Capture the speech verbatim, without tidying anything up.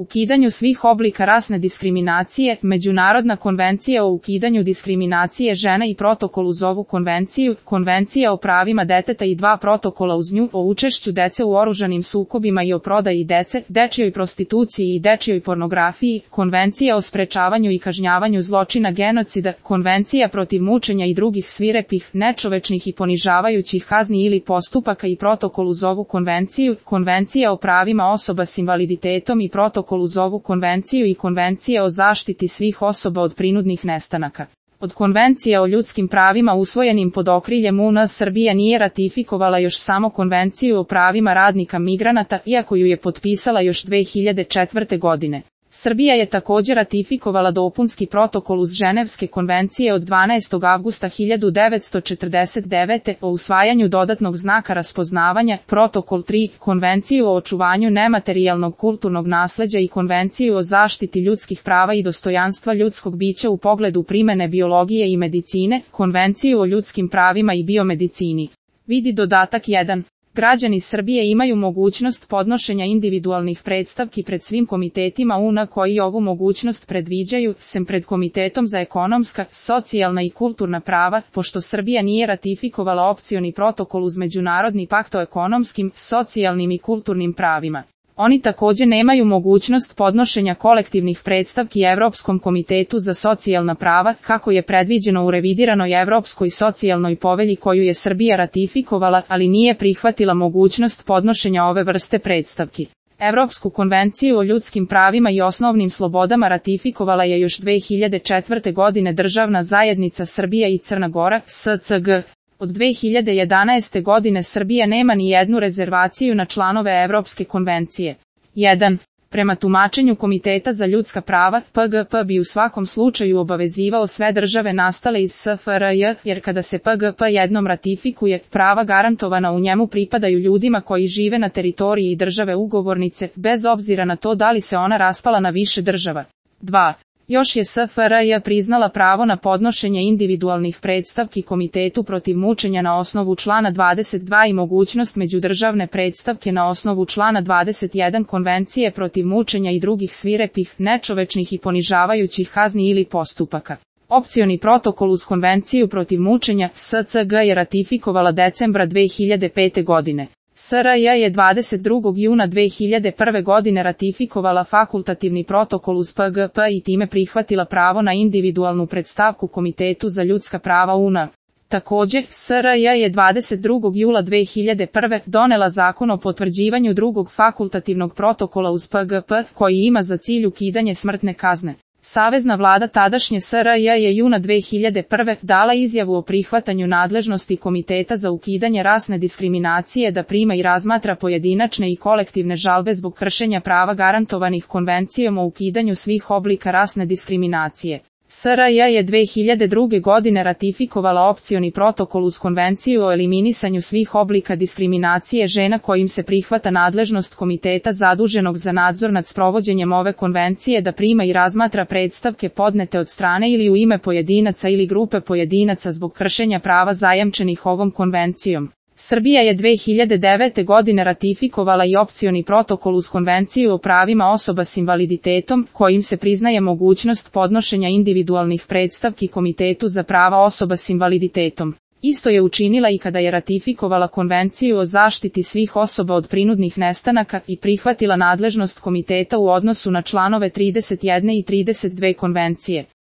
Ukidanju svih oblika rasne diskriminacije, Međunarodna konvencija o ukidanju diskriminacije žena i protokol uz ovu konvenciju, Konvencija o pravima deteta i dva protokola uz nju, o učešću dece u oružanim sukobima i o prodaji dece, dečijoj prostituciji i dečijoj pornografiji, Konvencija o sprečavanju i kažnjavanju zločina genocida, Konvencija protiv mučenja i drugih svirepih, nečovečnih i ponižavajućih kazni ili postupaka i protokol uz ovu konvenciju, Konvencija o pravima osoba s invaliditetom i protokol uz ovu konvenciju i Konvencija o zaštiti svih osoba od prinudnih nestanaka. Od konvencija o ljudskim pravima usvojenim pod okriljem U N Srbija nije ratifikovala još samo Konvenciju o pravima radnika migranata, iako ju je potpisala još dve hiljade četvrte. godine. Srbija je također ratifikovala dopunski protokol uz Ženevske konvencije od dvanaestog avgusta hiljadu devetsto četrdeset devete. o usvajanju dodatnog znaka raspoznavanja, protokol tri, Konvenciju o očuvanju nematerijalnog kulturnog nasleđa i Konvenciju o zaštiti ljudskih prava i dostojanstva ljudskog bića u pogledu primene biologije i medicine, Konvenciju o ljudskim pravima i biomedicini. Vidi dodatak jedan. Građani Srbije imaju mogućnost podnošenja individualnih predstavki pred svim komitetima U N koji ovu mogućnost predviđaju, sem pred Komitetom za ekonomska, socijalna i kulturna prava, pošto Srbija nije ratifikovala opcioni protokol uz Međunarodni pakt o ekonomskim, socijalnim i kulturnim pravima. Oni također nemaju mogućnost podnošenja kolektivnih predstavki Evropskom komitetu za socijalna prava, kako je predviđeno u revidiranoj Evropskoj socijalnoj povelji koju je Srbija ratifikovala, ali nije prihvatila mogućnost podnošenja ove vrste predstavki. Evropsku konvenciju o ljudskim pravima i osnovnim slobodama ratifikovala je još dve hiljade četvrte. godine Državna zajednica Srbija i Crna Gora, S C G. Od dve hiljade jedanaeste. godine Srbija nema ni jednu rezervaciju na članove Evropske konvencije. jedan. Prema tumačenju Komiteta za ljudska prava, P G P bi u svakom slučaju obavezivao sve države nastale iz S F R J, jer kada se P G P jednom ratifikuje, prava garantovana u njemu pripadaju ljudima koji žive na teritoriji države ugovornice, bez obzira na to da li se ona raspala na više država. dva. Još je S F R J priznala pravo na podnošenje individualnih predstavki Komitetu protiv mučenja na osnovu člana dvadeset dva i mogućnost međudržavne predstavke na osnovu člana dvadeset jedan Konvencije protiv mučenja i drugih svirepih, nečovečnih i ponižavajućih kazni ili postupaka. Opcioni protokol uz Konvenciju protiv mučenja S C G je ratifikovala decembra dve hiljade pete. godine. S R J je dvadeset drugog juna dve hiljade prve. godine ratifikovala fakultativni protokol uz P G P i time prihvatila pravo na individualnu predstavku Komitetu za ljudska prava U N. Također, S R J je dvadeset drugog jula dve hiljade prve. donela zakon o potvrđivanju drugog fakultativnog protokola uz P G P, koji ima za cilj ukidanje smrtne kazne. Savezna vlada tadašnje S R J je juna dve hiljade prve. dala izjavu o prihvatanju nadležnosti Komiteta za ukidanje rasne diskriminacije da prima i razmatra pojedinačne i kolektivne žalbe zbog kršenja prava garantovanih Konvencijom o ukidanju svih oblika rasne diskriminacije. S R J je dve hiljade druge. godine ratifikovala opcioni protokol uz Konvenciju o eliminisanju svih oblika diskriminacije žena kojim se prihvata nadležnost komiteta zaduženog za nadzor nad sprovođenjem ove konvencije da prima i razmatra predstavke podnete od strane ili u ime pojedinaca ili grupe pojedinaca zbog kršenja prava zajamčenih ovom konvencijom. Srbija je dve hiljade devete. godine ratifikovala i opcioni protokol uz Konvenciju o pravima osoba s invaliditetom, kojim se priznaje mogućnost podnošenja individualnih predstavki Komitetu za prava osoba s invaliditetom. Isto je učinila i kada je ratifikovala Konvenciju o zaštiti svih osoba od prinudnih nestanaka i prihvatila nadležnost komiteta u odnosu na članove trideset jedan i trideset dva konvencije.